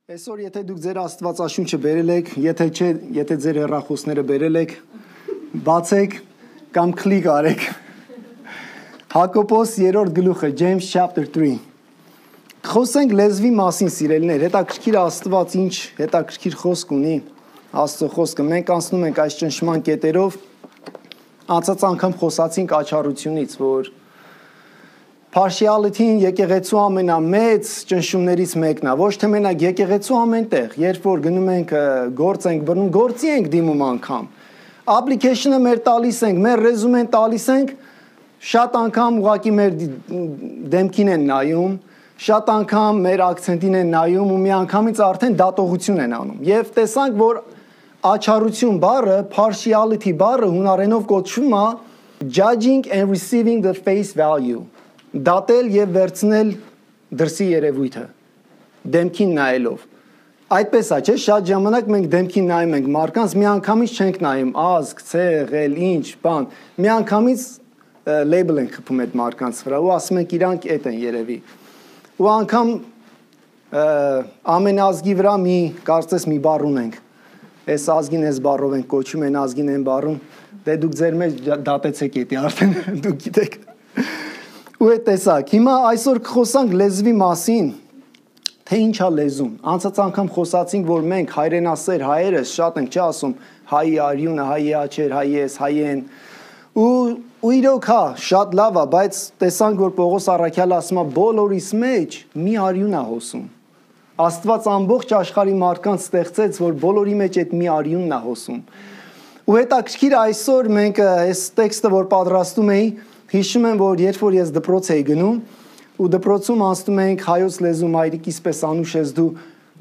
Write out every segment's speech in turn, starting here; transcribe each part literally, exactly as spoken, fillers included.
Այսօր եթե դուք ձեր Աստվածաշունչը բերել եք, եթե չէ, եթե ձեր հեռախոսները բերել եք, բացեք կամ կլիկ արեք։ Հակոբոս երրորդ գլուխը, James chapter three։ Խոսենք լեզվի մասին, սիրելիներ, հետաքրքիր Աստված ինչ հետաքրքիր խոսք ունի, Աստծո խոսքը։ Մենք անցնում ենք այս ճնշման կետերով, անցած անգամ խոսացինք աչառությունից, որ Partiality-ն եկեղեցու ամենամեծ ճնշումներից մեկն է, ոչ թե մենակ եկեղեցու ամենտեղ, երբ որ գնում ենք գործ ենք բռնում, գործի ենք դիմում անգամ։ Application-ը մեր տալիս ենք, մեր ռեզումեն տալիս ենք, շատ անգամ ուղղակի մեր դեմքին են նայում, շատ անգամ մեր ակցենտին են նայում ու մի անգամից արդեն դատողություն են անում։ Եվ տեսանք, որ աչառություն բառը, partiality բառը հունարենով կոչվում է judging and receiving the face value։ Դատել եւ վերցնել դրսի երևույթը դեմքին նայելով այդպես է չէ շատ ժամանակ մենք դեմքին նայում ենք մարդկանց միանգամից չենք նայում ազգ ցեղել ինչ բան միանգամից լեյբլ ենք խփում այդ մարդկանց վրա ու ասում ենք իրանք էդ են երևի ու անգամ ամեն ազգի վրա մի կարծես մի բառ ունենք այս ազգին այս բառով ենք կոչում են ազգին են բառում դե դուք ձեր մեջ դատեցեք էդի արդեն դուք գիտեք ու է տեսակ, հիմա այսօր կխոսանք լեզվի մասին, թե ինչ է լեզուն, անցած անգամ խոսացինք, որ մենք հայրենասեր հայերս շատ ենք չի ասում հայի արյունը, հայի աչեր, հայի ես, հայի են, ու իրոք հա, շատ լավ է, բայց տեսանք, որ Պողոս առաքյալը ասում է բոլորիս մեջ մի արյուն է հոսում, Աստված ամբողջ աշխարհի մարդկանց ստեղծեց, որ բոլորի մեջ այդ մի արյունն է հոսում, ու հետաքրքիր այսօր մենք այս տեքստը, որ պատրաստում էի, Հիշում եմ, որ երբ որ ես դպրոց էի գնում ու դպրոցում անցնում էինք հայոց լեզու մայրիկիս պես անուշ ես դու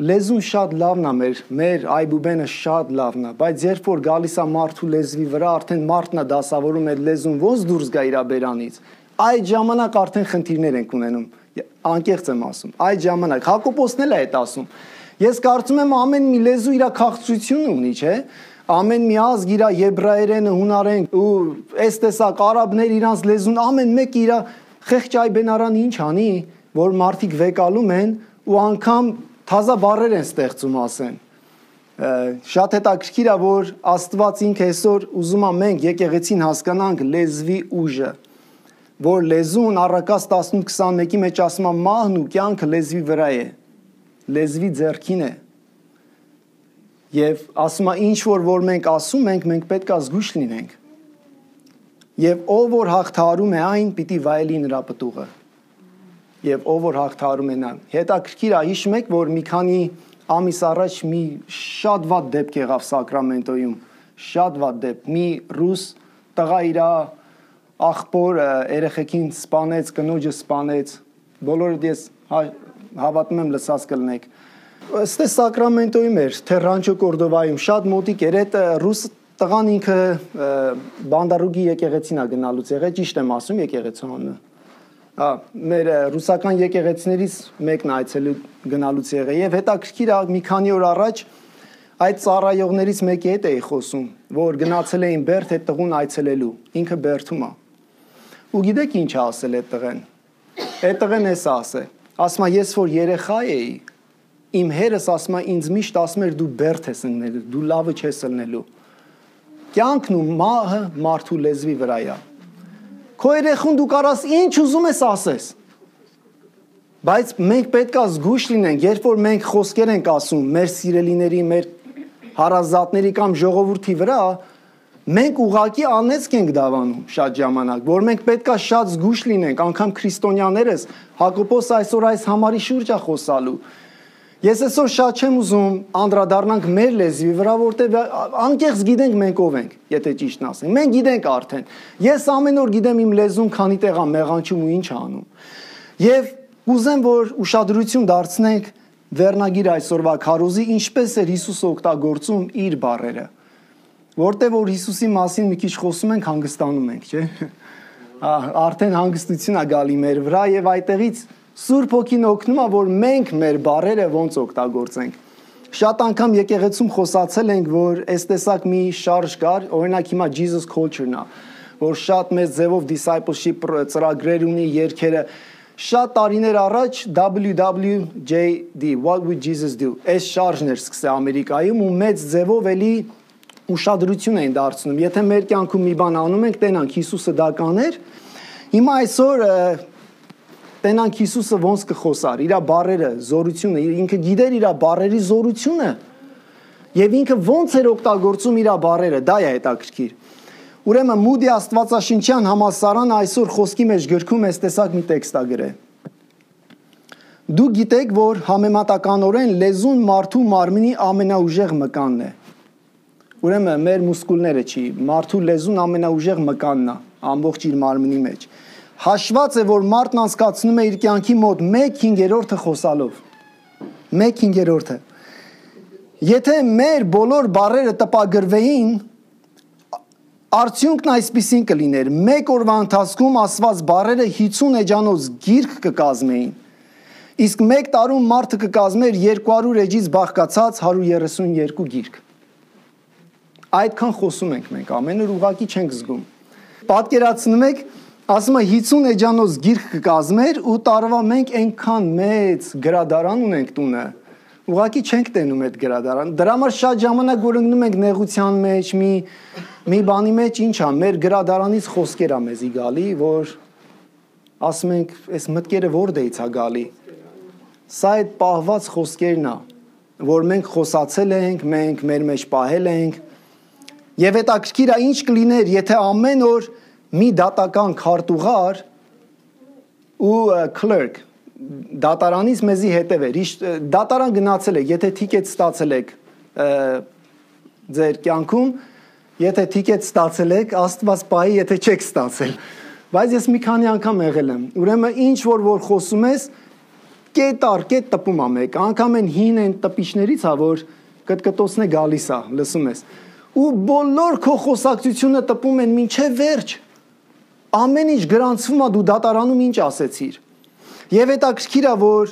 լեզուն շատ լավն է մեր մեր այբուբենը շատ լավն է բայց երբ որ գալիս է մարդու լեզվի վրա արդեն մարդն է դասավորում այդ լեզուն ոնց դուրս գա իր բերանից այդ ժամանակ արդեն խնդիրներ ենք ունենում անկեղծ եմ ասում այդ ժամանակ Հակոբոսն էլ է այդ ասում ես կարծում եմ ամեն մի լեզու իր քաղցրությունը ունի չէ Ամեն մի ազգ իր եբրայերենը, հունարեն ու այս տեսակ արաբներ իրանց լեզուն ամեն մեկ իր խեղճ այբենարան ինչ անի, որ մարդիկ վեկալում են ու անգամ թազա բառեր են ստեղծում ասեն։ Շատ հետաքրքիր է, որ Աստված ինքը այսօր ուզում է մենք եկեղեցին հասկանանք լեզվի ուժը, որ լեզուն առակաց տասնութ քսանմեկի մեջ ասում է մահն ու կյանքը լեզվի վրա է, լեզվի ձեռքին է։ Եվ ասում է ինչ որ որ մենք ասում ենք, մենք պետք է զգույշ լինենք։ Եվ ով որ հաղթահարում է այն, պիտի վայելի նրա պտուղը։ Եվ ով որ հաղթահարում է նա։ Հետաքրքիր է, հիշում եք, որ մի քանի ամիս առաջ մի շատ վատ դեպք եղավ Սակրամենտոյում, շատ վատ դեպք։ Մի ռուս տղա իր աղբոր երեխեքին սպանեց, կնոջը սպանեց։ Բոլորդ ես հավատում եմ լսած կլնեք։ Ստե Սակրամենտոյում էր, թե Ռանչո Կորդովայում, շատ մոտիկ էր, այդ ռուս տղան ինքը բանդարուգի եկեղեցին է գնալուց եղել, ճիշտ եմ ասում եկեղեցու անունը։ Հա, մեր ռուսական եկեղեցիներից մեկն այցելու գնալուց եղել եւ հետաքրքիր է մի քանի օր առաջ այդ ծառայողներից մեկի հետ էի խոսում, որ գնացել էին Բերդ այդ տղուն այցելելու, ինքը Բերդում է։ Ու գիտեք ինչ է ասել այդ տղեն։ Այդ տղեն էս ասել, ասում է ես որ երեխա էի Իմ հերս ասում է ինձ միշտ ասում էր դու բերդ ես ընկնելու, դու լավը չես ելնելու։ Կյանքն ու մահը մարդու լեզվի վրա է։ Քո երեխուն դու կարաս ինչ ուզում ես ասես։ Բայց մենք պետք է զգույշ լինենք, երբ որ մենք խոսքեր ենք ասում մեր սիրելիների, մեր հարազատների կամ ժողովրդի վրա, մենք ուղղակի անեծք ենք դավանում շատ ժամանակ, որ մենք պետք է շատ զգույշ լինենք, անգամ քրիստոնյաներս Հակոբոս այսօր այս համարի շուրջ է խոսալու։ Ես այսօր շատ չեմ ուզում անդրադառնանք մեր լեզվի վրա, որտեղ անկեղծ գիտենք մենք ով ենք, եթե ճիշտն ասենք։ Մենք գիտենք արդեն։ Ես ամեն օր գիտեմ իմ լեզուն քանի տեղ է մեղանչում ու ինչ անում։ Եվ ուզեմ, որ ուշադրություն դարձնենք վերնագիր այսօրվա քարոզի, ինչպես էր Հիսուսը օգտագործում իր բառերը։ Որտեղ որ Հիսուսի մասին մի քիչ խոսում ենք, հանգստանում ենք, չէ՞։ Արդեն հանգստություն է գալի մեր վրա եւ այդտեղից Սուրբ Հոգին օգնում է, որ մենք մեր բառերը ոնց օգտագործենք։ Շատ անգամ եկեղեցում խոսացել ենք, որ այս տեսակ մի շարժ կար, օրինակ հիմա Jesus culture-ն է, որ շատ մեծ ձևով discipleship ծրագրեր ունի, երգերը, Շատ տարիներ առաջ W W J D What would Jesus do? Այս շարժն էր սկսել Ամերիկայում ու մեծ ձևով էլի ուշադրություն էին դարձնում։ Եթե մեր կյանքում մի բան անում ենք, տենանք Հիսուսը դա կաներ։ Հիմա այսօր տենանք Հիսուսը ոնց կխոսար, իր բառերը, զորությունը, ինքը գիտեր իր բառերի զորությունը եւ ինքը ոնց էր օգտագործում իր բառերը, դա է հետաքրքիր։ Ուրեմն Մուդի Աստվածաշնչյան համալսարանը այսօր խոսքի մեջ գրքում էս տեսակ մի տեքստ ա գրել։ Դու գիտեք, որ համեմատականորեն լեզուն մարդու մարմնի ամենաուժեղ մկանն է։ Ուրեմն մեր մուսկուլները չի, մարդու լեզուն ամենաուժեղ մկանն է, ամբողջ իր մարմնի մեջ։ Հաշված է, որ մարդն անցկացնում է իր կյանքի մոտ մեկ հինգերորդը խոսալով։ մեկ հինգերորդը։ Եթե մեր բոլոր բառերը տպագրվեին, արդյունքն այսպիսին կլիներ. մեկ օրվա ընթացքում ասված բառերը հիսուն էջանոց գիրք կկազմեին, իսկ մեկ տարում մարդը կկազմեր երկու հարյուր էջից բաղկացած հարյուր երեսուն երկու գիրք։ Այդքան խոսում ենք մենք, ամեն օր ուղղակի չենք զգում։ Պատկերացնում եք, ասում է հիսուն էջանոց գիրք կկազմեր ու տարվա մենք այնքան մեծ գրադարան ունենք տունը, ուղղակի չենք տենում այդ գրադարան։ Դրա համար շատ ժամանակ որ ընկնում ենք նեղության մեջ, մի մի բանի մեջ, ինչ ա, մեր գրադարանից խոսքեր ա մեզի գալի, որ ասում ենք, այս մտքերը որտեղից ա գալի։ Սա այդ պահված խոսքերն ա, որ մենք խոսացել ենք, մենք մեր մեջ պահել ենք։ Եվ հետաքրքիր ա ինչ կլիներ, եթե ամեն օր մի դատական քարտուղար ու clerk դատարանից մեզի հետևեր, դատարան գնացել եք, եթե թիկետ ստացել եք ձեր կյանքում, եթե թիկետ ստացել եք, Աստված պահի, եթե չեք ստացել։ Բայց ես մի քանի անգամ եղել եմ։ Ուրեմն ինչ որ որ խոսում ես, կետ առ կետ տպում ա մեկ, անգամ են հին են տպիչներից ա, որ կտկտոցն է գալիս ա, լսում ես։ Ու բոլոր քո խոսակցությունը տպում են մինչև վերջ։ Ամեն ինչ գրանցվում ա, դու դատարանում ինչ ասեցիր։ Եվ հետաքրքիր ա, որ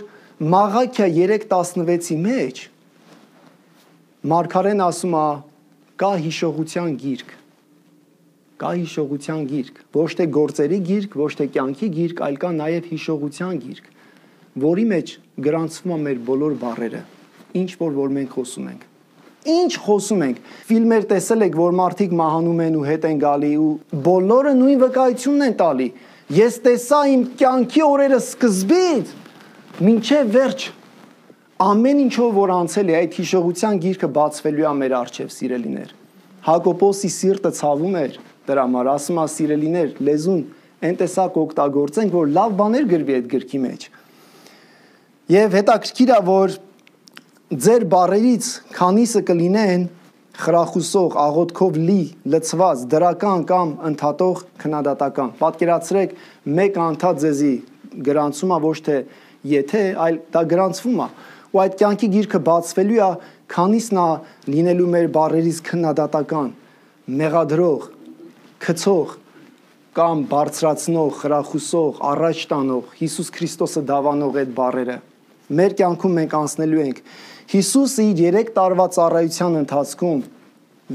Մաղաքիա երեք տասնվեցի մեջ Մարգարեն ասում ա կա հիշողության գիրք, կա հիշողության գիրք, ոչ թե գործերի գիրք, ոչ թե կյանքի գիրք, այլ կա նաև հիշողության գիրք, որի մեջ գրանցվում ա մեր բոլոր բառերը, ինչ որ որ մենք խոսում ենք։ Ինչ խոսում ենք։ Ֆիլմեր տեսել եք, որ մարդիկ մահանում են ու հետ են գալի ու բոլորը նույն վկայությունն են տալի։ Ես տեսա իմ կյանքի օրերը սկզբից մինչև վերջ ամեն ինչով որ անցել է այդ հիշողության գիրքը բացվելու է մեր առջև, սիրելիներ։ Հակոբոսի սիրտը ցավում էր դրա համար, ասում է սիրելիներ, լեզուն այն տեսակ օգտագործենք, որ լավ բաներ գրվի այդ գրքի մեջ։ Եվ հետաքրքիր է, որ ձեր բառերից քանիսը կլինեն խրախուսող, աղոթքով լի, լցված, դրական կամ ընդհատող քննադատական։ Պատկերացրեք, մեկ անդադ ձեզի գրանցում ա ոչ թե եթե, այլ դա գրանցվում ա։ Ու այդ կյանքի գիրքը բացվելու է, քանիսն ա լինելու մեր բառերից քննադատական, մեղադրող, քցող կամ բարձրացնող, խրախուսող, առաջ տանող, Հիսուս Քրիստոսը դավանող այդ բառերը։ Մեր կյանքում մենք անցնելու ենք։ Հիսուսը իր երեք տարվա ծառայության ընթացքում,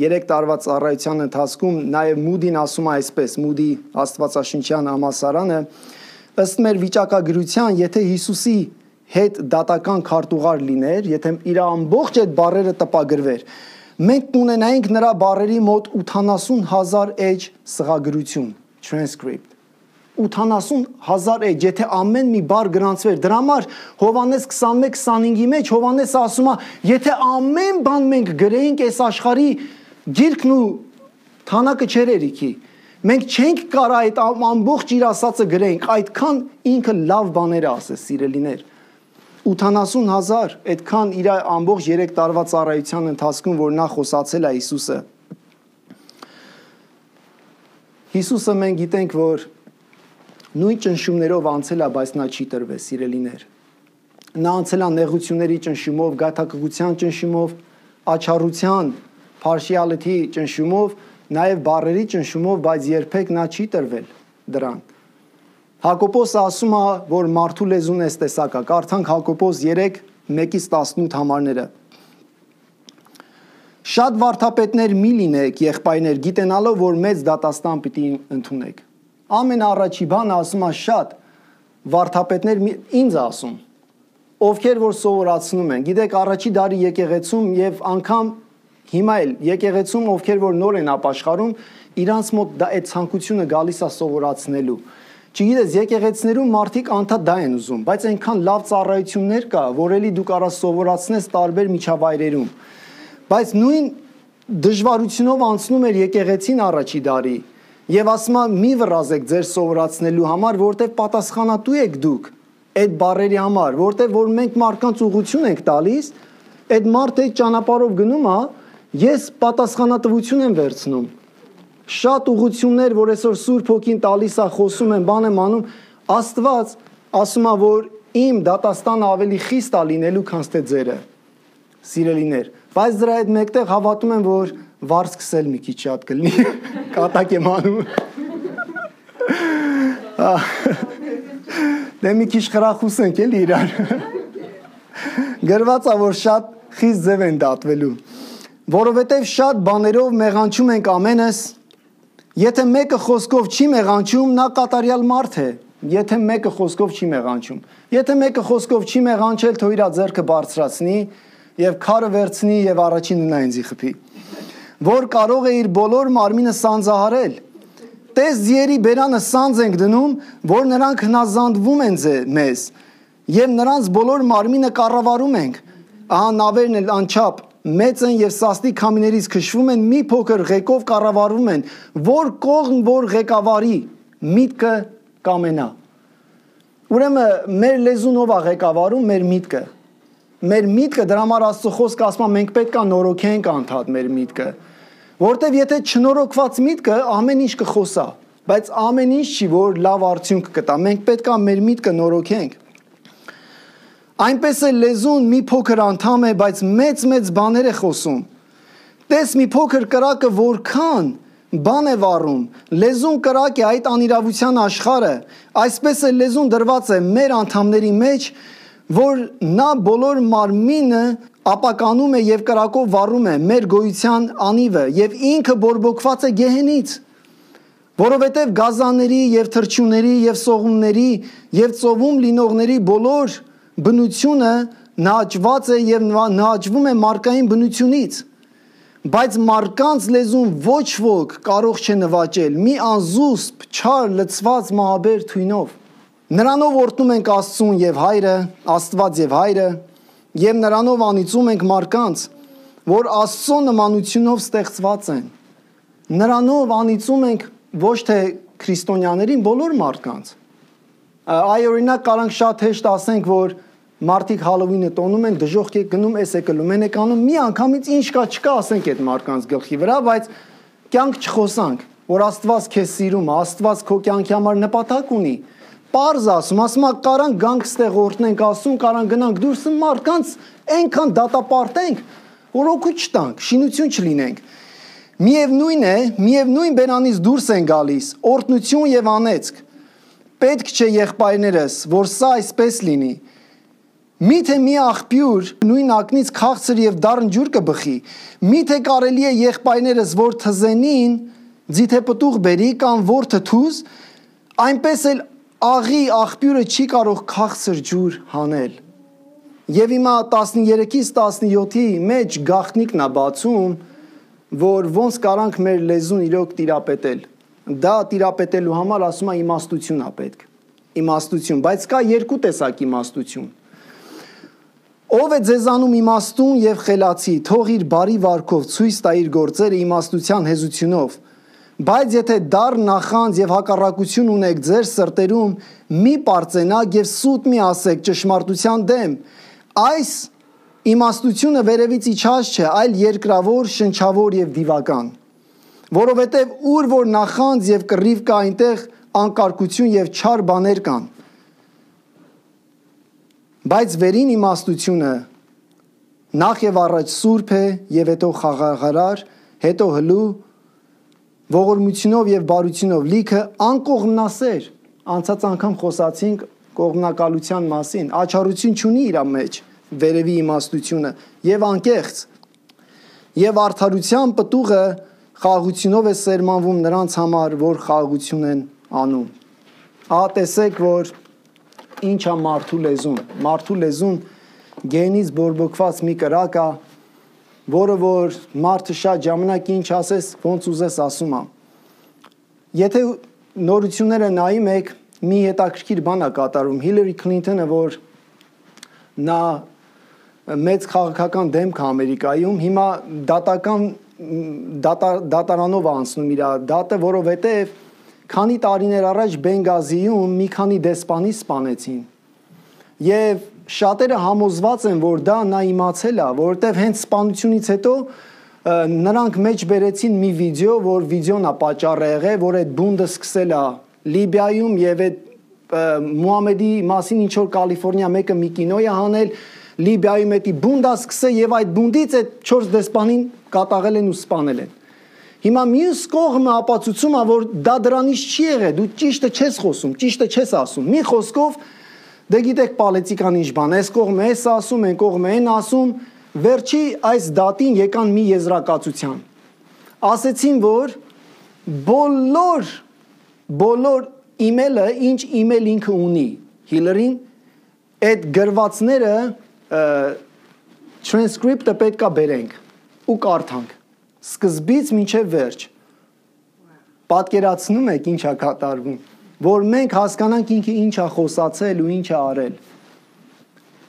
երեք տարվա ծառայության ընթացքում նաև Մուդին ասում է այսպես, Մուդի Աստվածաշնչյան համալսարանը, ըստ մեր վիճակագրության, եթե Հիսուսի հետ դատական քարտուղար լիներ, եթե իր ամբողջ այդ բառերը տպագրվեր, մենք կունենայինք նրա բառերի մոտ ութանասուն հազար էջ սղագրություն, transcript։ ութանասուն հազար էջ, եթե ամեն մի բառ գրանցվեր, դրա համար Հովհաննես քսանմեկ քսանհինգի մեջ Հովհաննեսը ասում է, եթե ամեն բան մենք գրեինք այս աշխարհի գիրքն ու թանակը չէր երիքի, մենք չենք կարա այդ ամբողջ իր ասածը գրենք, այդքան ինքը լավ բաներ ասես, սիրելիներ։ ութանասուն հազար, այդքան իր ամբողջ երեք տարվա ծառայության ընթացքում, որ նա խոսացել է Հիսուսը։ Հիսուսը մենք գիտենք, որ նույն ճնշումներով անցել է, բայց նա չի տրվել, սիրելիներ։ Նա անցել է նեղությունների ճնշումով, գաթակղության ճնշումով, աչառության, partiality ճնշումով, նաև բառերի ճնշումով, բայց երբեք նա չի տրվել դրան։ Հակոբոսը ասում է, որ մարդու լեզուն էս տեսակ է, կարդանք Հակոբոս երեք մեկից տասնութ համարները։ Շատ վարդապետներ մի լինեք, եղբայրներ, գիտենալով, որ մեծ դատաստան պիտի ընդունեք։ Ամենաառաջի բանը ասում է շատ վարդապետներ ինձ ասում, ովքեր որ սովորացնում են, գիտեք առաջի դարի եկեղեցում եւ անգամ հիմա էլ եկեղեցում ովքեր որ նոր են ապաշխարում, իրանց մոտ դա այդ ցանկությունը գալիս է սովորացնելու։ Չգիտես, եկեղեցիներում մարդիկ անդադ դա են ուզում, բայց այնքան լավ ծառայություններ կա, որ էլի դու կարաս սովորացնես տարբեր միջավայրերում։ Բայց նույն դժվարությունով անցնում էր եկեղեցին առաջի դարի եւ ասում է մի վրազեք ձեր սովորացնելու համար, որտեղ պատասխանատու եք դուք այդ բարերի համար, որտեղ որ մենք մարդկանց ուղղություն ենք տալիս, այդ մարդը այդ ճանապարհով գնում է, ես պատասխանատվություն եմ վերցնում։ Շատ ուղղություններ, որ այսօր Սուրբ Հոգին տալիս է, խոսում են, բան եմ անում, Աստված ասում է, որ իմ դատաստանը ավելի խիստ է լինելու, քան թե ձերը, սիրելիներ։ Բայց դրա հետ մեկտեղ հավատում եմ, որ վարձ սկսել մի քիչ շատ կլինի, կատակ եմ անում։ Դե մի քիչ խրախուսենք էլի իրար։ Գրված է, որ շատ խիստ ձև են դատվելու, որովհետև շատ բաներով մեղանչում ենք ամենս։ Եթե մեկը խոսքով չի մեղանչում, նա կատարյալ մարդ է։ Եթե մեկը խոսքով չի մեղանչում, եթե մեկը խոսքով չի մեղանչել, թող իր ձեռքը բարձրացնի եւ քարը վերցնի եւ առաջին նա ինձի խփի, որ կարող է իր բոլոր մարմինը սանձահարել։ Տես ձիերի բերանը սանձ ենք դնում, որ նրանք հնազանդվում են մեզ եւ նրանց բոլոր մարմինը կառավարում ենք։ Ահա նավերն էլ անչափ մեծ են եւ սաստիկ քամիներից քշվում են, մի փոքր ղեկով կառավարվում են, որ կողմ որ ղեկավարի միտքը կամենա։ Ուրեմն մեր լեզունով է ղեկավարում մեր միտքը։ Մեր միտքը դրա համար Աստծո խոսքը ասում է մենք պետք է նորոգենք անդադ մեր միտքը, որտեվ եթե չնորոգված միտքը ամեն ինչ կխոսա, բայց ամեն ինչ չի որ լավ արդյունք կտա, մենք պետք է մեր միտքը նորոգենք։ Այնպես է լեզուն մի փոքր անդամ է, բայց մեծ-մեծ բաներ է խոսում։ Տես մի փոքր կրակը որքան բան է վառում, լեզուն կրակ է այդ անիրավության աշխարհը, այսպես է լեզուն դրված է մեր անդամների մեջ, որ նա բոլոր մարմինը ապականում է եւ կրակով վառում է մեր գոյության անիվը եւ ինքը բորբոքված է գեհենից, որովհետեւ գազանների եւ թրջունների եւ սողունների եւ ծովում լինողների բոլոր բնությունը նահաճված է եւ նահաճվում է մարդկային բնությունից, բայց մարկանց լեզուն ոչ ոք կարող չէ նվաճել մի անզուսպ չար լցված մահաբեր թույնով։ Նրանով օրհնում ենք Աստծուն եւ Հայրը, Աստված եւ Հայրը, եւ նրանով անիծում ենք մարկանց, որ Աստծո նմանությունով ստեղծված են։ Նրանով անիծում ենք ոչ թե քրիստոնյաներին, բոլոր մարդկանց։ Այ օրինակ կարանք շատ հեշտ ասենք, որ մարդիկ Հալովինը տոնում են, դժոխք եք գնում, էս եք լում, են եք անում, մի անգամից ինչ կա չկա ասենք այդ մարդկանց գլխի վրա, բայց կյանք չխոսանք, որ Աստված քեզ սիրում է, Աստված քո կյանքի համար նպատակ ունի։ Պարզ ասում, ասում է կարանք գանք ստեղ օրհնենք Աստծուն, կարանք գնանք դուրս մարդկանց այնքան դատապարտենք, որ օգուտ չտանք, շինություն չլինենք։ Միևնույն է, միևնույն բերանից դուրս են գալիս օրհնություն եւ անեծք։ Պետք չէ եղբայրներս, որ սա այսպես լինի։ Միթե մի աղբյուր նույն ակնից քաղցր եւ դառն ջուր կբխի։ Միթե կարելի է եղբայրներս, որ թզենին ձիթե պտուղ բերի կամ որ թթուզ, այնպես էլ աղի աղբյուրը չի կարող քաղցր ջուր հանել։ Եվ հիմա տասներեքից տասնյոթի մեջ գաղտնիքն է բացում, որ ոնց կարանք մեր լեզուն իրոք տիրապետել։ Դա տիրապետելու համար ասում է իմաստություն է պետք։ Իմաստություն, բայց կա երկու տեսակ իմաստություն։ Ով է ձեզանում իմաստուն եւ խելացի, թող իր բարի վարքով ցույց տա իր գործերը իմաստության հեզությունով։ Բայց եթե դառ նախանձ եւ հակառակություն ունեք ձեր սրտերում, մի պարծենակ եւ սուտ մի ասեք ճշմարտության դեմ։ Այս իմաստությունը վերևից իջած չէ, այլ երկրավոր, շնչավոր եւ դիվական։ Որովհետեւ ուր որ նախանձ եւ կռիվ կա, այնտեղ անկարգություն եւ չար բաներ կան։ Բայց վերին իմաստությունը նախ եւ առաջ սուրբ է եւ հետո խաղաղարար, հետո հլու, ողորմությունով եւ բարությունով լիքը, անկողմնասեր, անցած անգամ խոսացինք կողմնակալության մասին, աչառություն չունի իր մեջ, վերևի իմաստությունը եւ անկեղծ, եւ արդարության պտուղը խաղաղությունով է սերմանվում նրանց համար, որ խաղաղություն են անում։ Ահա տեսեք, որ ինչ է մարդու լեզուն։ Մարդու լեզուն գենից բորբոքված մի կրակ է, որը որ մարդը շատ ժամանակ ինչ ասես, ոնց ուզես ասում է։ Եթե նորությունները նայում եք, մի հետաքրքիր բան է կատարում։ Հիլարի Քլինթոնը, որ նա մեծ քաղաքական դեմք է Ամերիկայում, հիմա դատական դատարանով անցնում իր դատը, որովհետև քանի տարիներ առաջ Բենգազիում մի քանի դեսպանի սպանեցին։ Եվ շատերը համոզված են, որ դա նա իմացել է, որովհետև հենց սպանությունից հետո նրանք մեջ բերեցին մի վիդեո, որ վիդեոն է պատճառը եղել, որ այդ բունդը սկսել է Լիբիայում եւ այդ Մուհամեդի մասին ինչ որ Կալիֆոռնիա մեկը մի կինո է հանել, Լիբիայում էդի բունդա սկսել եւ այդ բունդից այդ չորս դեսպանին կատաղել են ու սպանել են։ Հիմա մյուս կողմը ապացուցում է, որ դա դրանից չի եղել, դու ճիշտը չես խոսում, ճիշտը չես ասում։ Մի խոսքով դե գիտեք պոլիտիկան ինչ բան, այս կողմը էս ասում, այն կողմը այն ասում, վերջի այս դատին եկան մի եզրակացության։ Ասեցին, որ բոլոր բոլոր email-ը, ինչ email ինքը ունի, Հիլարին, այդ գրվածները transcript-ը պետք է բերենք ու կարդանք, սկզբից մինչև վերջ։ Պատկերացնում եք ինչ է կատարվում, որ մենք հասկանանք ինքը ինչ է խոսացել ու ինչ է արել։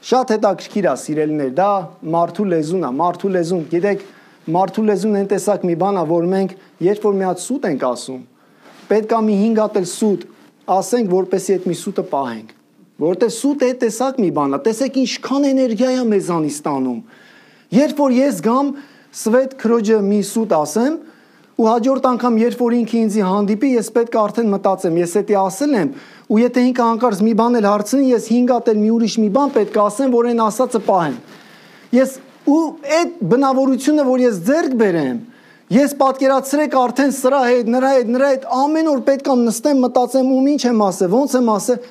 Շատ հետաքրքիր է, սիրելիներ, դա մարդու լեզուն է, մարդու լեզուն, գիտեք, մարդու լեզուն այն տեսակ մի բան է, որ մենք երբ որ մի հատ սուտ ենք ասում, պետք է մի հինգ հատ էլ սուտ ասենք, որպեսզի այդ մի սուտը պահենք, որովհետև սուտը այդ տեսակ մի բան է, տեսեք ինչքան էներգիա է մեզանից ստանում։ Երբ որ ես գամ Սվետ քրոջը մի սուտ ասեմ, ու հաջորդ անգամ երբ որ ինքը ինձ հանդիպի, ես պետք է արդեն մտածեմ, ես էդի ասել եմ, ու եթե ինքը հանկարծ մի բան էլ հարցնի, ես հինգ հատ էլ մի ուրիշ մի բան պետք է ասեմ, որ այն ասածը պահեմ։ Ես ու այդ բնավորությունը, որ ես ձեռք բերեմ, ես պատկերացրեք արդեն սրա հետ, նրա հետ, նրա հետ ամեն օր պետք է նստեմ, մտածեմ ում ինչ եմ ասել, ոնց եմ ասել,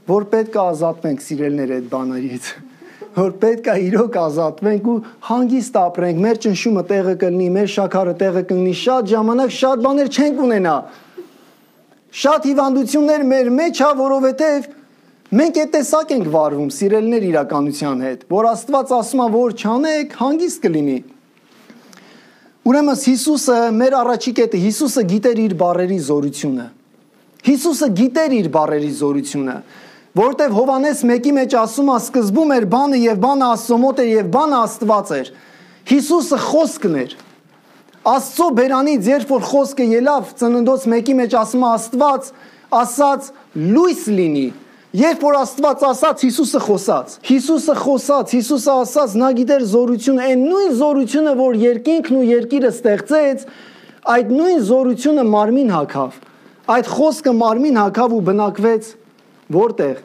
որ պետք է ազատվենք սիրելներ այդ բաներից, որ պետք է իրոք ազատվենք ու հանգիստ ապրենք, մեր ճնշումը տեղը կլինի, մեր շաքարը տեղը կլինի, շատ ժամանակ շատ բաներ չենք ունենա, շատ հիվանդություններ մեր մեջ է, որովհետև մենք այդ տեսակ ենք վարվում սիրելներ իրականության հետ, որ Աստված ասում է, որ չանեք, հանգիստ կլինի։ Ուրեմն Հիսուսը, մեր առաջի կետը, Հիսուսը գիտեր իր բառերի զորությունը։ Հիսուսը գիտեր իր բառերի զորությունը, որտեվ Հովանես մեկի մեջ ասում է, սկզբում էր բանը եւ բանը Աստծո մոտ էր եւ բանը Աստված էր։ Հիսուսը խոսքն էր։ Աստծո բերանից երբ որ խոսքը ելավ, Ծննդոց մեկի մեջ ասում է Աստված ասաց լույս լինի։ Երբ որ Աստված ասաց, Հիսուսը խոսաց։ Հիսուսը խոսաց, Հիսուսը ասաց, նա գիտեր զորությունը, այն նույն զորությունը, որ երկինքն ու երկիրը ստեղծեց, այդ նույն զորությունը մարմին հագավ։ Այդ խոսքը մարմին հագավ ու բնակվեց որտեղ։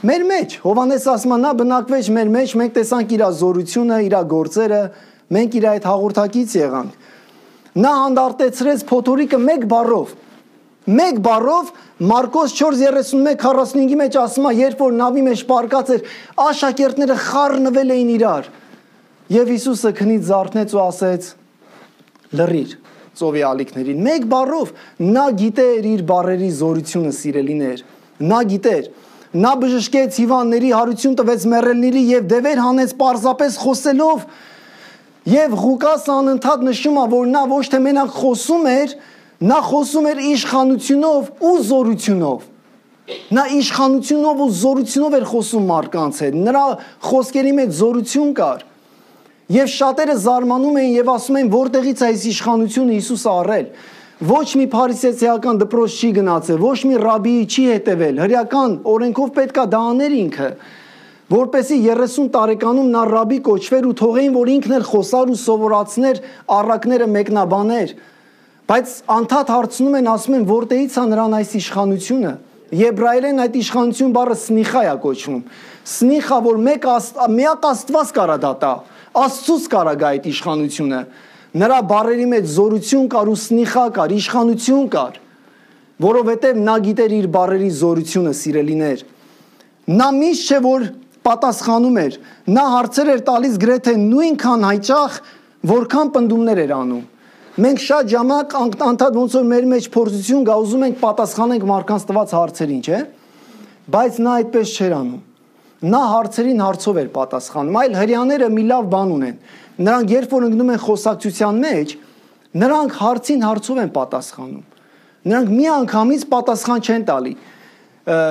Մեր մեջ, Հովանես ասում է, նա բնակվեց մեր մեջ, մենք տեսանք իր զորությունը, իր գործերը, մենք իր այդ հաղորդակից եղանք։ Նա հանդարտեցրեց փոթորիկը մեկ բառով։ Մեկ բառով Մարկոս չորս երեսունմեկ քառասունհինգի մեջ ասում է, երբ որ նավի մեջ պարկած էր, աշակերտները խառնվել էին իրար։ Եվ Հիսուսը քնից զարթնեց ու ասեց. լռիր ծովի ալիքներին։ Մեկ բառով նա գիտեր իր բառերի զորությունը, սիրելիներ։ Նա գիտեր։ Նա բժշկեց հիվանդների, հարություն տվեց մեռելների եւ դևեր հանեց պարզապես խոսելով։ Եվ Ղուկասը անընդհատ նշում է, որ նա ոչ թե մենակ խոսում էր, նա խոսում էր իշխանությունով ու զորությունով։ Նա իշխանությունով ու զորությունով էր խոսում մարդկանց հետ։ Նրա խոսքերի մեջ զորություն կար։ Եվ շատերը զարմանում էին եւ ասում էին, որտեղից է այս իշխանությունը Հիսուսը առել։ Ոչ մի փարիսեցիական դպրոց չի գնացել, ոչ մի ռաբիի չի հետևել, հրեական օրենքով պետքա դա աներ ինքը, որպեսզի երեսուն տարեկանում նա ռաբի կոչվեր ու թողեին, որ ինքն էլ խոսար ու սովորացներ առակները մեկնաբաներ։ Բայց անդադ հարցնում են, ասում են, որտեղից է նրան այս իշխանությունը։ Եբրայերեն այդ իշխանություն բառը սնիխա է կոչվում։ Սնիխա, որ մեկ միակ Աստված կարա դա տա, Աստծուց կարա գա այդ իշխանությունը։ Նրա բառերի մեջ զորություն կար ու սնիխա կար, իշխանություն կար, որովհետև նա գիտեր իր բառերի զորությունը, սիրելիներ։ Նա միշտ չէ որ պատասխանում էր, նա հարցեր էր տալիս գրեթե նույնքան հաճախ, որքան պնդումներ էր անում։ Մենք շատ ժամանակ անդադ ոնց որ մեր մեջ փորձություն գա, ուզում ենք պատասխանենք մարդկանց տված հարցերին, չէ՞։ բայց նա այդպես չէր անում։ Նա հարցերին հարցով էր պատասխանում, այլ հрьяաները մի լավ բան ունեն։ Նրանք երբ որ ընկնում են խոսակցության մեջ, նրանք հարցին հարցով են պատասխանում։ Նրանք մի անգամից պատասխան չեն տալի։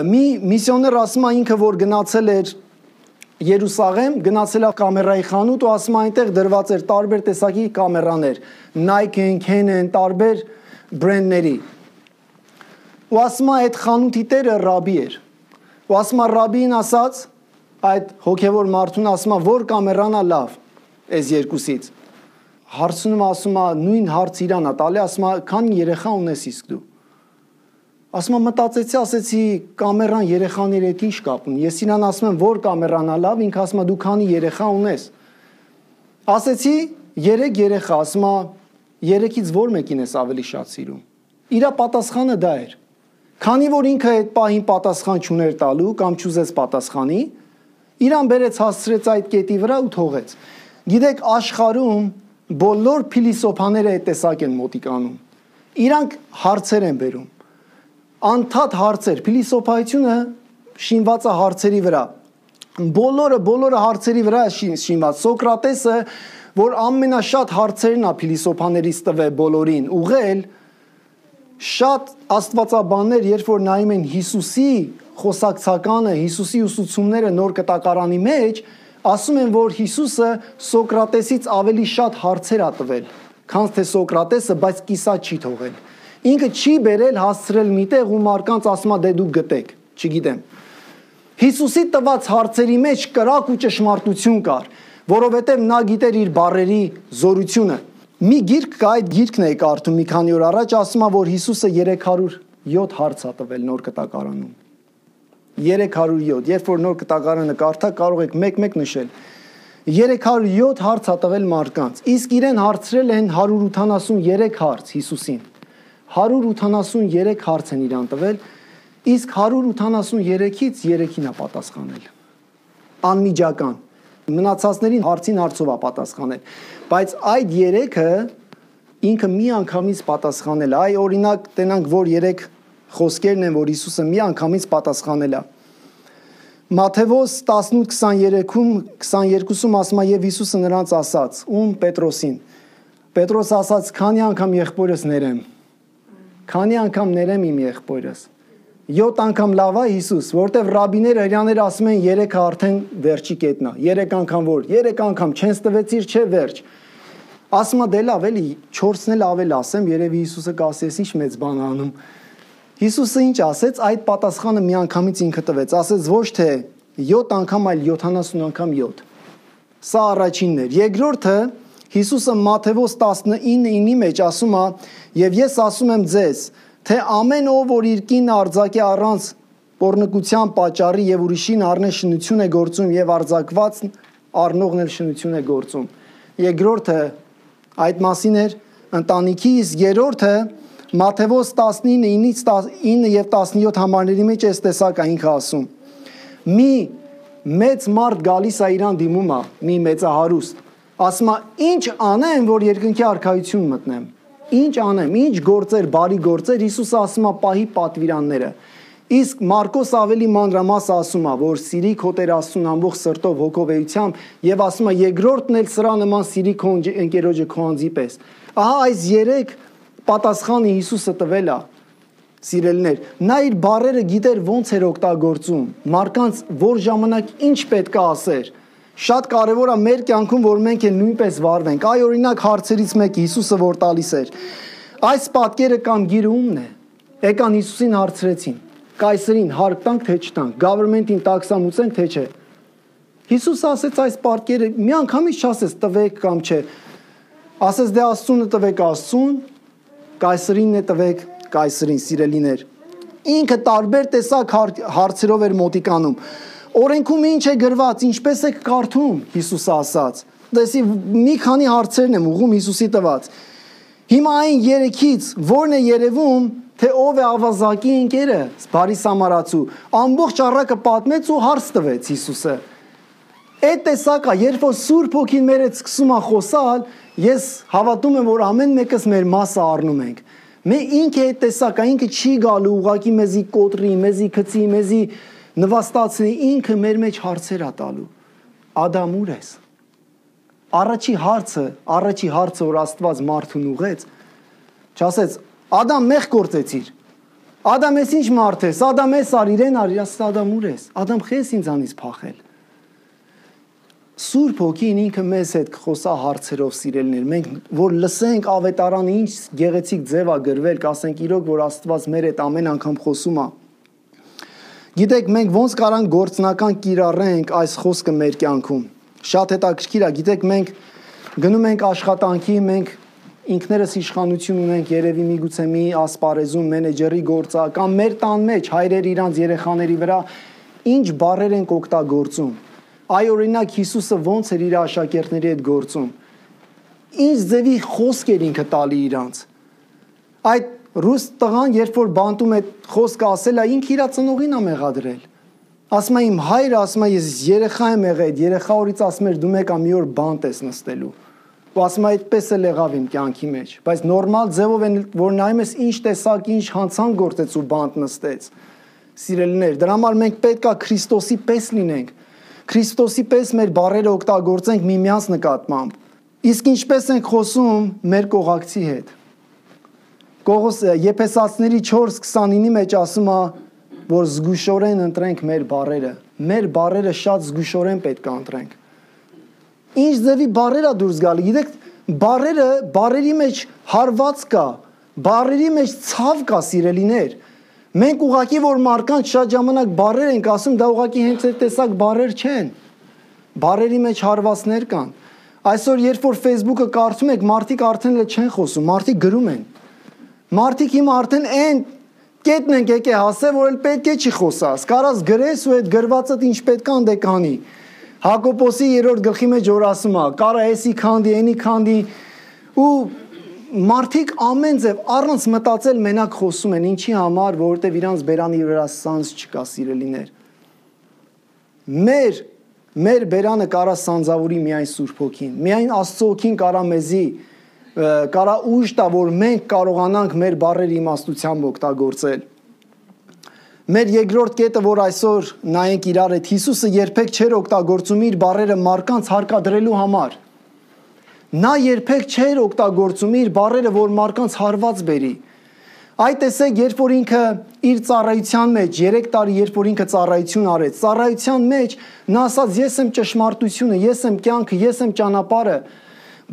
Մի միսիոներ ասում է ինքը որ գնացել էր Երուսաղեմ, գնացել է կամերայի խանութ ու ասում է այնտեղ դրված էր տարբեր տեսակի կամերաներ, Nike, Canon, տարբեր բրենդների։ Ու ասում է այդ խանութի տերը ռաբի էր։ Ու ասում է ռաբին ասաց, այդ հոգևոր մարդուն ասում է որ կամերան է լավ այս երկուսից։ Հարցնում ասում է նույն հարց իրան է տալի, ասում է քանի երեխա ունես իսկ դու։ Ասում եմ մտածեցի, ասեցի կամերան երեխաների հետ ինչ կապ ունի։ Ես իրան ասում եմ որ կամերան է լավ, ինքը ասում է դու քանի երեխա ունես։ Ասեցի երեք երեխա, ասում է երեքից որ մեկին ես ավելի շատ սիրում։ Իրա պատասխանը դա էր։ Քանի որ ինքը այդ պահին պատասխան չուներ տալու կամ չուզեց պատասխանի, իրան բերեց հասցրեց այդ կետի վրա ու թողեց։ Գիտեք, աշխարհում բոլոր փիլիսոփաները այդ տեսակ են մոտիկանում։ Իրանք հարցեր են բերում։ Անդադ հարցեր, փիլիսոփայությունը շինված է հարցերի վրա։ Բոլորը բոլորը հարցերի վրա է շինված։ Սոկրատեսը, որ ամենաշատ հարցերն է փիլիսոփաներից տվել բոլորին, ուղղել, շատ աստվածաբաններ, երբ որ նայում են Հիսուսի խոսակցականը, Հիսուսի ուսուցումները նոր կտակարանի մեջ, ասում են, որ Հիսուսը Սոկրատեսից ավելի շատ հարցեր է տվել, քան թե Սոկրատեսը, բայց կիսա չի թողել։ Ինքը չի բերել հասցրել միտեղ ու մարկանց ասում է դե դուք գտեք, չգիտեմ։ Հիսուսի տված հարցերի մեջ կրակ ու ճշմարտություն կար, որովհետև նա գիտեր իր բառերի զորությունը։ Մի գիրք կա, այդ գիրքն է կարդում մի քանի օր առաջ, ասում է, որ Հիսուսը երեք հարյուր յոթ հարց է տվել նոր կտակարանում։ երեք հարյուր յոթ, երբ որ նոր կտակարանը կարդա, կարող եք մեկ-մեկ նշել։ երեք հարյուր յոթ հարց է տվել մարդկանց, իսկ իրեն հարցրել են հարյուր ութանասունյուրեք հարց Հիսուսին։ հարյուր ութանասունյուրեք հարց են իրան տվել, իսկ հարյուր ութանասունյուրեքից երեքին է պատասխանել։ Անմիջական։ Մնացածներին հարցին հարցով է պատասխանել, բայց այդ երեքը ինքը մի անգամից պատասխանել է։ Այ օրինակ տենանք, որ երեք խոսքերն են, որ Հիսուսը մի անգամից պատասխանել է։ Մատթեոս տասնութ քսաներեքում քսաներկուսում ասում է եւ Հիսուսը նրանց ասաց, ում Պետրոսին։ Պետրոս ասաց, քանի անգամ եղբորս ներեմ։ Քանի անգամ ներեմ իմ եղբորս։ յոթ անգամ լավ է Հիսուս, որտեվ ռաբիները հрьяաները ասում են երեքը արդեն վերջի կետն է։ երեք անգամ որ, երեք անգամ չեն ստվեցիր, չէ վերջ։ Ասում է դե լավ էլի, չորսն էլ ավել ասեմ, երևի Հիսուսը կասես ինչ մեծ բան անում։ Հիսուսը ինչ ասեց, այդ պատասխանը մի անգամից ինքը տվեց, ասեց ոչ թե յոթ անգամ, այլ յոթանասուն անգամ յոթ։ Սա առաջինն էր։ Երկրորդը Հիսուսը Մատթեոս տասնինի մեջ ասում է, եւ ես ասում եմ ձեզ, թե ամեն ով որ իր կինը արձակի առանց պոռնկության պատճառի եւ ուրիշին առնե շնություն է գործում եւ արձակված առնողն էլ շնություն է գործում։ Երկրորդը այդ մասին էր ընտանիքի, իսկ երրորդը Մատթեոս տասնինից ինը եւ տասնյոթ համարների մեջ այս տեսակը ինքը ասում։ Մի մեծ մարդ գալիս է իրան դիմում է, մի մեծահարուստ, ասում է ինչ անեմ, որ երկնքի արքայություն մտնեմ։ Ինչ անեմ, ինչ գործեր, բարի գործեր, Հիսուսը ասում է պահի պատվիրանները։ Իսկ Մարկոս ավելի մանրամաս ասում է, որ սիրի քո Տեր Աստծուն ամբողջ սրտով, հոգով, էությամբ եւ ասում է երկրորդն էլ սրա նման սիրի քո ընկերոջը քո անձի պես։ Ահա այս երեք պատասխանը Հիսուսը տվել է, սիրելիներ։ Նա իր բառերը գիտեր ոնց էր օգտագործում, մարկանց որ ժամանակ ինչ պետք է ասեր։ Շատ կարևոր է մեր կյանքում, որ մենք էլ նույնպես վարվենք։ Այ օրինակ հարցերից մեկը Հիսուսը որ տալիս էր։ Այս պատկերը կամ գիրը ումն է։ Եկան Հիսուսին հարցրեցին. Կայսերին հարկ տանք թե չտանք, գավերնմենտին տաքսամուծենք թե չէ։ Հիսուսը ասեց այս պատկերը մի անգամից չասեց տվեք կամ չէ։ Ասեց դե Աստծունը տվեք Աստծուն, կայսերին է տվեք կայսերին, սիրելիներ։ Ինքը տարբեր տեսակ հարցերով էր մոտիկանում։ Օրենքում ինչ է գրված, ինչպես է կարդում, Հիսուսը ասաց։ Դեսի մի քանի հարցերն եմ ուղում Հիսուսի տված։ Հիմա այն երեքից ո՞րն է երևում, թե ով է ավազակի ընկերը, բարի սամարացու։ Ամբողջ առակը պատմեց ու հարց տվեց Հիսուսը։ Այդ տեսակը, երբ որ Սուրբ Հոգին մեր հետ սկսում է խոսալ, ես հավատում եմ, որ ամեն մեկս մեր մասը առնում ենք։ Մե ինքը այդ տեսակը, ինքը չի գալու ուղակի մեզի կոտրի, մեզի գցի, մեզի նվաստացնի, ինքը մեր մեջ հարցեր ա տալու։ Ադամ ուր ես։ Առաջի հարցը, առաջի հարցը, որ Աստված մարդուն ուղեց, չասեց, Ադամ մեղ գործեցիր։ Ադամ ես ինչ մարդ ես, Ադամ ես արիր, են արիր, ասեց Ադամ ուր ես։ Ադամ խես ինձանից փախել։ Սուրբ Հոգին ինքը մեզ հետ կխոսա հարցերով, սիրելիներ, մենք որ լսենք ավետարանը ինչ գեղեցիկ ձև ա գրվել, կասենք իրոք, որ Աստված մեր հետ ամեն անգամ խոսում ա։ Գիտեք, մենք ոնց կարանք գործնական կիրառենք այս խոսքը մեր կյանքում։ Շատ հետաքրքիր ա, գիտեք, մենք գնում ենք աշխատանքի, մենք ինքներս իշխանություն ունենք, երևի միգուցե մի ասպարեզում մենեջերի գործա կամ մեր տան մեջ հայրեր իրանց երեխաների վրա ինչ բառեր են օգտագործում։ Այ օրինակ Հիսուսը ոնց էր իր աշակերտների հետ գործում։ Ինչ ձևի խոսք էր ինքը տալի իրանց։ Այդ ռուս տղան, երբ որ բանտում է խոսքը ասել է, ինքը իր ծնողին ա մեղադրել։ Ասում է իմ հայրը, ասում է ես երեխա եմ եղել, այդ երեխա օրից ասում էր դու մեկա մի օր բանտ ես նստելու։ Ու ասում է այդպես էլ եղավ իմ կյանքի մեջ, բայց նորմալ ձևով են որ նայում ես ինչ տեսակ, ինչ հանցանք գործեց ու բանտ նստեց։ Սիրելիներ, դրա համար մենք պետք է Քրիստոսի պես լինենք։ Քրիստոսի պես մեր բառերը օգտագործենք միմյանց նկատմամբ։ Իսկ ինչպես ենք խոսում մեր կողակցի հետ։ Կողոս Եփեսացիների չորս քսանինի մեջ ասում է, որ զգուշորեն ընտրենք մեր բառերը։ Մեր բառերը շատ զգուշորեն պետք է ընտրենք։ Ինչ ձևի բառեր ա դուրս գալի։ Գիտեք, բառերը, բառերի մեջ հարված կա, բառերի մեջ ցավ կա, սիրելիներ։ Մենք ուղղակի որ մարկանց շատ ժամանակ բառեր ենք ասում, դա ուղղակի հենց այդ տեսակ բառեր չեն։ Բառերի մեջ հարվածներ կան։ Այսօր երբ որ Facebook-ը կարդում եք, մարդիկ արդեն էլ չեն խոսում, մարդիկ գրում են։ Մարդիկ հիմա արդեն այն կետն են եկե հասել, որ էլ պետք է չի խոսաս։ Կարաս գրես ու այդ գրվածդ ինչ պետք է անդե կանի։ Հակոբոսի երրորդ գլխի մեջ որ ասում է, կարա էսի քանդի, էնի քանդի ու մարդիկ ամեն ձև առանց մտածել մենակ խոսում են, ինչի համար, որովհետև իրանց բերանի վրա սանձ չկա, սիրելիներ։ Մեր մեր բերանը կարա սանձավորի միայն Սուրբ Հոգին, միայն Աստծո Հոգին կարա մեզի կարա ուժ տա, որ մենք կարողանանք մեր բառերը իմաստությամբ օգտագործել։ Մեր երկրորդ կետը, որ այսօր նայենք իրար հետ, Հիսուսը երբեք չէր օգտագործում իր բառերը մարդկանց հարկադրելու համար։ Նա երբեք չէր օգտագործում իր բառերը, որ մարդկանց հարված բերի։ Այդ տեսեք, երբ որ ինքը իր ծառայության մեջ, երեք տարի, երբ որ ինքը ծառայություն արեց, ծառայության մեջ նա ասաց, ես եմ ճշմարտությունը, ես եմ կյանքը, ես եմ ճանապարհը։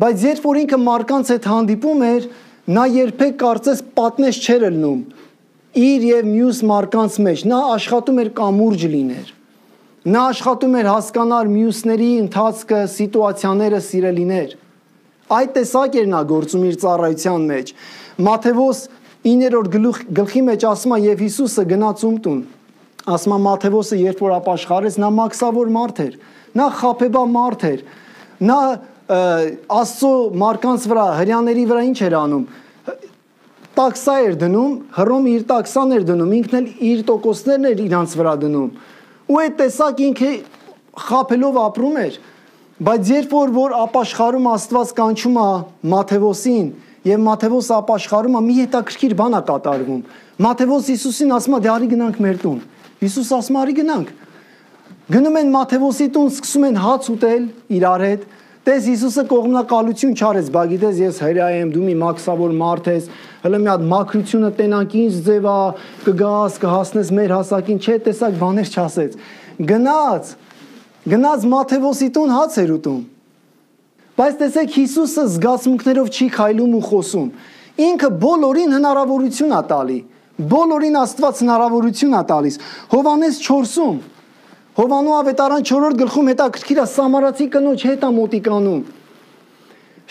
Բայց երբ որ ինքը մարդկանց հետ հանդիպում էր, նա երբեք կարծես պատնեշ չէր ելնում իր եւ մյուս մարդկանց մեջ, նա աշխատում էր կամուրջ լիներ։ Նա աշխատում էր հասկանալ մյուսների ընթացքը, սիտուացիաները, սիրելիներ։ Այդ տեսակ էր նա գործում իր ծառայության մեջ։ Մատթեոս իններորդ գլխի մեջ ասում է եւ Հիսուսը գնաց ում տուն։ Ասում է Մատթեոսը երբ որ ապաշխարեց, նա մաքսավոր մարդ էր, նա խաբեբա մարդ էր։ Նա Աստծո մարդկանց վրա, հրյաների վրա ինչ էր անում։ Տաքսա էր դնում, Հռոմը իր տաքսան էր դնում, ինքն էլ իր տոկոսներն էր իրանց վրա դնում։ Ու այդ տեսակ ինքը խաբելով ապրում էր։ Բայց երբ որ որ ապաշխարում Աստված կանչում է Մատթեոսին, եւ Մատթեոսը ապաշխարում է, մի հետաքրքիր բան է կատարվում։ Մատթեոս Հիսուսին ասում է՝ «Դե արի գնանք մեր տուն»։ Հիսուս ասում է՝ «Արի գնանք»։ Գնում են Մատթեոսի տուն, սկսում են հաց ուտել իրար հետ։ Տես Հիսուսը կողմնակալություն չարեց, բա գիտես ես հրյա եմ, դու մի մաքսավոր մարդ ես, հələ մի հատ մաքրությունը տենանք ինչ ձև է, կգաս, կհասնես մեր հասակին, չէ, տեսակ բաներ չասեց։ Գնաց, գնաց Մատթեոսի տուն հաց էր ուտում։ Բայց տեսեք Հիսուսը զգացմունքներով չի քայլում ու խոսում։ Ինքը բոլորին հնարավորություն է տալի։ Բոլորին Աստված հնարավորություն է տալիս։ Հովհաննես չորսում Հովանու ավետարան չորրորդ գլխում հետաքրքիր է սամարացի կնոջ հետ է մոտիկանում։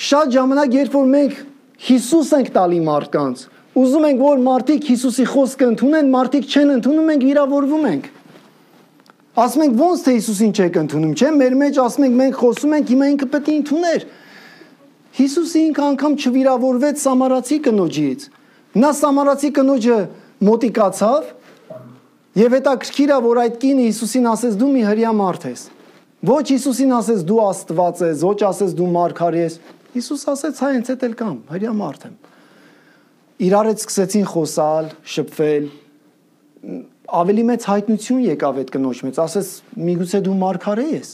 Շատ ժամանակ երբ որ մենք Հիսուս ենք տալի մարդկանց, ուզում ենք որ մարդիկ Հիսուսի խոսքը ընդունեն, մարդիկ չեն ընդունում, մենք վիրավորվում ենք։ Ասում ենք ոնց թե Հիսուսին չեք ընդունում, չէ՞, մեր մեջ ասում ենք մենք խոսում ենք, հիմա ինքը պետք է ընդուներ։ Հիսուսը ինքը անգամ չվիրավորվեց սամարացի կնոջից։ Նա սամարացի կնոջը մոտիկացավ Եվ հետաքրքիր է, որ այդ կինը Հիսուսին ասեց դու մի հրյա մարդ ես։ Ոչ Հիսուսին ասեց դու Աստված ես, ոչ ասեց դու մարգարե ես։ Հիսուս ասեց հա հենց էդ էլ կամ, հրյա մարդ եմ։ Իրար հետ սկսեցին խոսալ, շփվել։ ավելի մեծ հայտնություն եկավ այդ կնոջ մեջ, ասես միգուցե դու մարգարե ես։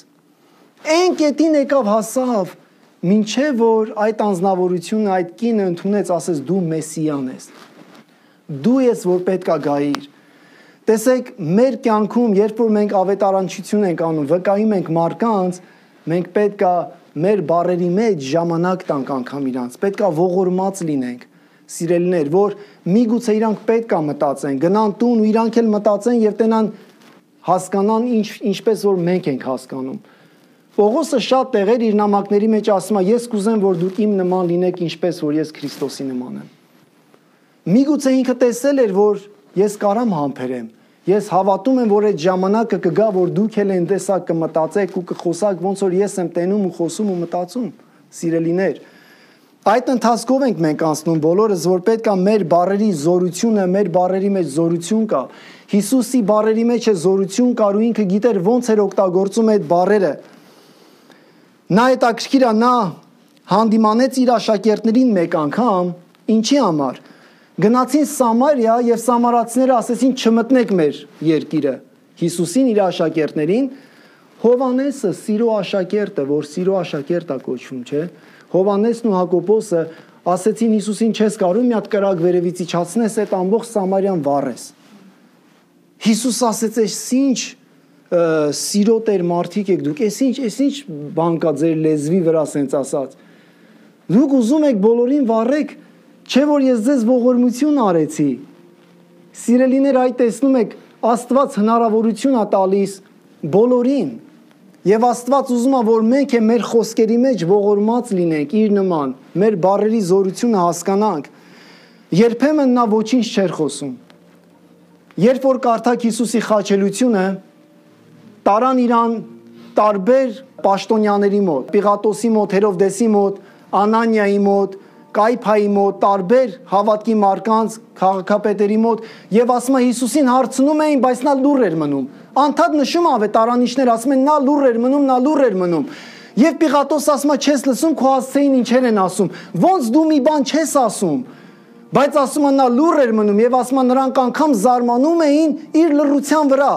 Այն կետին եկավ հասավ, մինչև որ այդ անձնավորությունը, այդ կինը ընդունեց, ասես դու մեսիան ես։ Դու ես, որ պետք է գայիր։ Տեսեք, մեր կյանքում, երբ որ մենք ավետարանչություն ենք անում, վկայում ենք մարդկանց, մենք պետք է մեր բառերի մեջ ժամանակ տանք անգամ իրանց, պետք է ողորմած լինենք, սիրելիներ, որ միգուցե իրանք պետք է մտածեն, գնան տուն ու իրանք էլ մտածեն եւ տենան հասկանան ինչ ինչպես որ մենք ենք հասկանում։ Պողոսը շատ տեղեր իր նամակների մեջ ասում է, ես կուզեմ, որ դուք իմ նման լինեք, ինչպես որ ես Քրիստոսի նման եմ։ Միգուցե ինքը տեսել էր, որ ես կարամ համբերեմ։ Ես հավատում եմ, որ այդ ժամանակը կգա, որ դուք էլ այն տեսակ կմտածեք ու կխոսակ, ոնց որ ես եմ տենում ու խոսում ու մտածում, սիրելիներ։ Այդ ընթացքով ենք մենք անցնում բոլորս, որ պետք է մեր բառերի զորությունը, մեր բառերի մեջ զորություն կա։ Հիսուսի բառերի մեջ է զորություն կար ու ինքը գիտեր ոնց էր օգտագործում այդ բառերը։ Նա հետաքրքիր է, նա հանդիմանեց իր աշակերտներին մեկ անգամ, ինչի համար։ Գնացին Սամարիա եւ սամարացիները ասեցին չմտնեք մեր երկիրը։ Հիսուսին իր աշակերտներին, Հովանեսը սիրո աշակերտը, որ սիրո աշակերտ է կոչվում, չէ՞։ Հովանեսն ու Հակոբոսը ասեցին Հիսուսին չես կարող մի հատ կրակ վերևից իջացնես, այդ ամբողջ Սամարիան վառես։ Հիսուս ասեց, «Էս ինչ սիրո տեր մարդիկ եք դուք, էս ինչ, էս ինչ բան կա ձեր լեզվի վրա սենց ասած։ Դուք ուզում եք բոլորին վառեք, չէ որ ես ձեզ ողորմություն արեցի»։ Սիրելիներ, այդ տեսնում եք, Աստված հնարավորություն է տալիս բոլորին։ Եվ Աստված ուզում է, որ մենք է մեր խոսքերի մեջ ողորմած լինենք իր նման, մեր բառերի զորությունը հասկանանք։ Երբեմն նա ոչինչ չէր խոսում։ Երբ որ կարդաք Հիսուսի խաչելությունը, տարան իրան տարբեր պաշտոնյաների մոտ, Պիղատոսի մոտ, Հերովդեսի մոտ, Անանիայի մոտ, Կայփայի մոտ, տարբեր հավատքի մարկանց, քաղաքապետերի մոտ, եւ ասում է Հիսուսին հարցնում էին, բայց նա լուռ էր մնում։ Անդադ նշում ավետարանիչներ ասում են նա լուռ էր մնում, նա լուռ էր մնում։ Եվ Պիղատոս ասում է չես լսում քո հասցեին ինչեր են ասում։ Ոնց դու մի բան չես ասում։ Բայց ասում է նա լուռ էր մնում եւ ասում է նրանք անգամ զարմանում էին իր լռության վրա,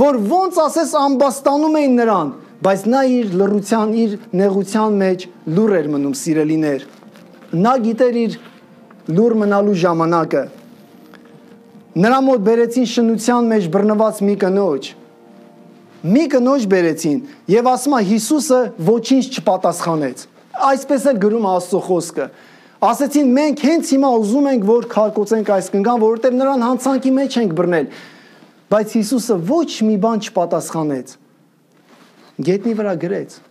որ ոնց ասես ամբաստանում էին նրան, բայց նա իր լռության, իր նեղության մեջ լուռ էր մնում, սիրելիներ։ Նա գիտեր իր լուռ մնալու ժամանակը։ Նրա մոտ բերեցին շնության մեջ բռնված մի կնոջ։ Մի կնոջ բերեցին եւ ասում է Հիսուսը ոչինչ չպատասխանեց։ Այսպես էլ գրում է Աստծո խոսքը։ Ասեցին մենք հենց հիմա ուզում ենք որ քարկոծենք այս կնգան, որովհետեւ նրան հանցանքի մեջ ենք բռնել։ Բայց Հիսուսը ոչ մի բան չպատասխանեց։ Գետնի վրա գրեց։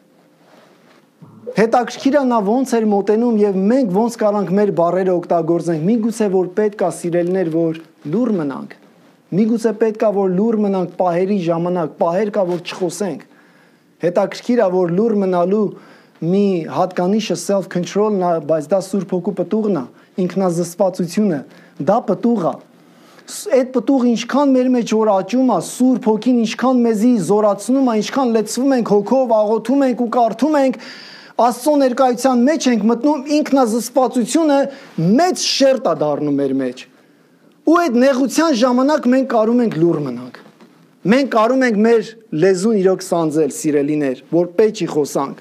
Հետաքրքիր է նա ոնց էր մոտենում եւ մենք ոնց կարանք մեր բառերը օգտագործենք։ Միգուցե որ պետք է սիրելներ, որ լուռ մնանք։ Միգուցե պետք է որ լուռ մնանք պահերի ժամանակ, պահեր կա որ չխոսենք։ Հետաքրքիր է որ լուռ մնալու մի հատկանիշը self control-ն է, բայց դա Սուրբ Հոգու պտուղն է, ինքնազսպվածությունը, դա պտուղ է։ Այդ պտուղը ինչքան մեր մեջ որ աճում է, Սուրբ Հոգին ինչքան մեզի զորացնում է, ինչքան լեցվում ենք հոգով, աղոթում ենք ու կարդում ենք, Աստծո ներկայության մեջ ենք մտնում, ինքնազսպվածությունը մեծ շերտ է դառնում մեր մեջ։ Ու այդ նեղության ժամանակ մենք կարում ենք լուռ մնանք։ Մենք կարում ենք մեր լեզուն իրոք սանձել, սիրելիներ, որ պետք չի խոսանք։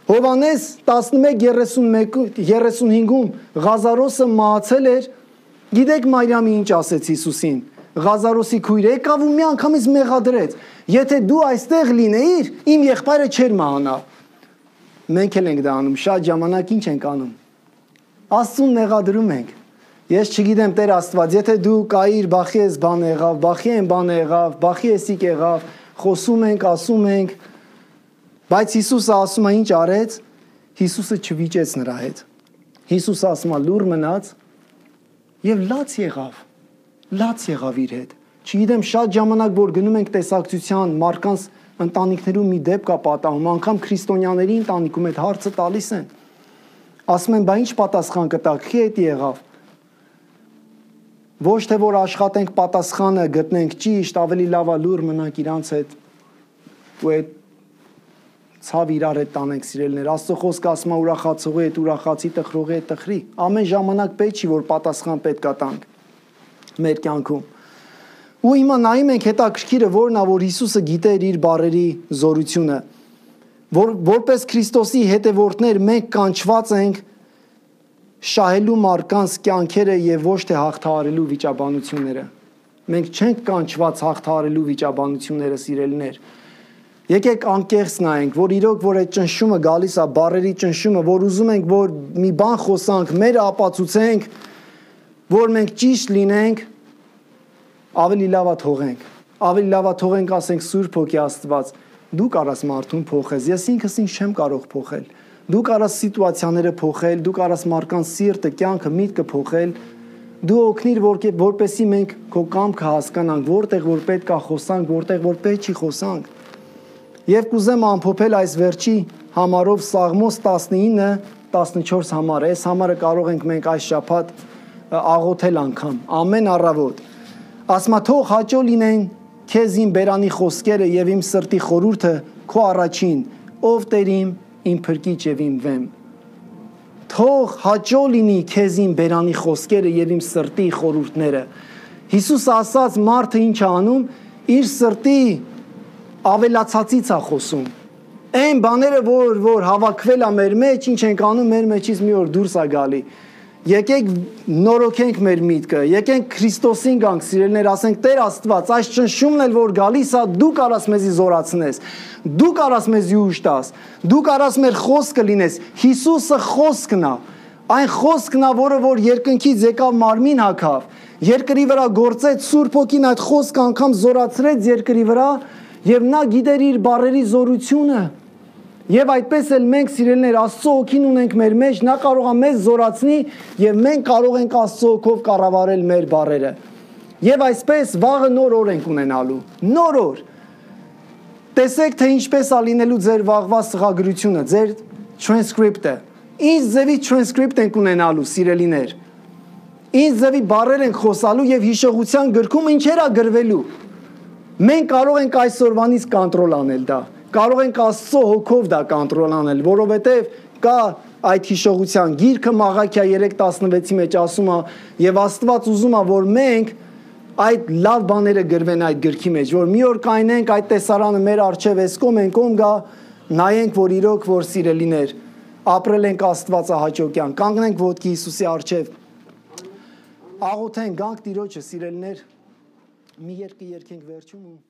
Հովանես տասնմեկ երեսունհինգում Ղազարոսը մահացել էր, գիտեք Մարիամի ինչ ասեց Հիսուսին։ Ղազարոսի քույրը եկավ ու մի անգամից մեղադրեց։ Եթե դու այստեղ լինեիր, իմ եղբայրը չէր մահանա։ Մենք էլ ենք դա անում, շատ ժամանակ ինչ ենք անում։ Աստծուն մեղադրում ենք։ Ես չգիտեմ Տեր Աստված, եթե դու կայիր, բախի ես բան եղավ, բախի են բան եղավ, բախի եսիկ եղավ, խոսում ենք, ասում ենք, բայց Հիսուսը ասում է ինչ արեց, Հիսուսը չվիճեց նրա հետ։ Հիսուսը ասում է լուռ մնաց եւ լաց եղավ, լաց եղավ իր հետ։ Չգիտեմ շատ ժամանակ որ գնում ենք տեսակցության մարդկանց ընտանիքներում մի դեպք է պատահում, անգամ քրիստոնյաների ընտանիքում այդ հարցը տալիս են։ Ասում են, բա ինչ պատասխան կտաք, քի հետ եղավ։ Ոչ թե որ աշխատենք պատասխանը գտնենք ճիշտ, ավելի լավ է լուռ մնանք իրանց հետ ու այդ ցավ իրար հետ տանենք սիրելիներ։ Աստծո խոսքը ասում է ուրախացողի հետ ուրախացի, տխրողի հետ տխրի։ Ամեն ժամանակ պետք չի որ պատասխան պետք է տանք մեր կյանքում։ Ու հիմա նայում ենք հետաքրքիրը որն է, որ Հիսուսը գիտեր իր բառերի զորությունը, որ որպես Քրիստոսի հետևորդներ մենք կանչված ենք շահելու մարդկանց կյանքերը եւ ոչ թե հաղթահարելու վիճաբանությունները։ Մենք չենք կանչված հաղթահարելու վիճաբանությունները, սիրելիներ։ Եկեք անկեղծ նայենք, որ իրոք որ այդ ճնշումը գալիս է, բառերի ճնշումը, որ ուզում ենք որ մի բան խոսանք, մեր ապացուցենք, որ մենք ճիշտ լինենք, ավելի լավ է թողենք։ Ավելի լավ է թողենք, ասենք Սուրբ Հոգի Աստված, դու կարաս մարդուն փոխես, ես ինքս ինձ չեմ կարող փոխել։ Դու կարաս սիտուացիաները փոխել, դու կարաս մարդկանց սիրտը, կյանքը, միտքը փոխել։ Դու օգնիր, որ որպեսի մենք քո կամքը հասկանանք, որտեղ որ պետք է խոսանք, որտեղ որ պետք չի խոսանք։ Եվ կուզեմ ամփոփել այս վերջի համարով Սաղմոս տասնինը տասնչորս համարը։ Այս համարը կարող ենք մենք այս շաբաթ աղոթել անգամ, ամեն առավոտ։ Ասма թող հաճո լինեն քեզ իմ բերանի խոսքերը եւ իմ սրտի խորհուրդը քո առաջին, ով Տեր իմ, իմ փրկիչ եւ իմ վեմ։ Թող հաճո լինի քեզ իմ բերանի խոսքերը եւ իմ սրտի խորհուրդները։ Հիսուս ասաց մարդը ինչ է անում, իր սրտի ավելացածից է խոսում։ Այն բաները, որ որ հավաքվել է մեր մեջ, ինչ ենք անում, մեր մեջից մի օր դուրս է գալի։ Եկեք նորոգենք մեր միտքը, եկենք Քրիստոսին գանք, սիրելիներ, ասենք Տեր Աստված, այս ճնշումն էլ որ գալիս է, դու կարաս մեզի զորացնես, դու կարաս մեզի ուժ տաս, դու կարաս մեր խոսքը լինես։ Հիսուսը խոսքն է, այն խոսքն է, որը որ երկնքից եկավ մարմին հագավ, երկրի վրա գործեց, Սուրբ Հոգին այդ խոսքը անգամ զորացրեց երկրի վրա, եւ նա գիտեր իր բառերի զորությունը։ Եվ այդպես էլ մենք սիրելիներ Աստծո հոգին ունենք մեր մեջ, նա կարող է մեզ զորացնի եւ մենք կարող ենք Աստծո հոգով կառավարել մեր բառերը։ Եվ այսպես վաղը նոր օր ենք ունենալու։ Նոր օր։ Տեսեք թե ինչպես է լինելու ձեր վաղվա սղագրությունը, ձեր transcript-ը։ Ինչ ձևի transcript ենք ունենալու, սիրելիներ։ Ինչ ձևի բառեր ենք խոսալու եւ հիշողության գրքում ինչեր է գրվելու։ Մենք կարող ենք այսօրվանից կոնտրոլ անել դա։ Կարող ենք Աստծո հոգով դա կոնտրոլ անել, որովհետև կա այդ հիշողության գիրքը Մաղաքիա երեք տասնվեցի մեջ ասում է եւ Աստված ուզում է որ մենք այդ լավ բաները գրվեն այդ գրքի մեջ, որ մի օր կայնենք այդ տեսարանը մեր արչեւ էսկոմ ենք ում գա նայենք որ իրոք որ սիրելիներ ապրել ենք Աստվածահաճոկյան, կանգնենք ոտքի Հիսուսի արչեւ աղոթենք գանք Տիրոջը սիրելիներ մի երկի երկենք վերջում ու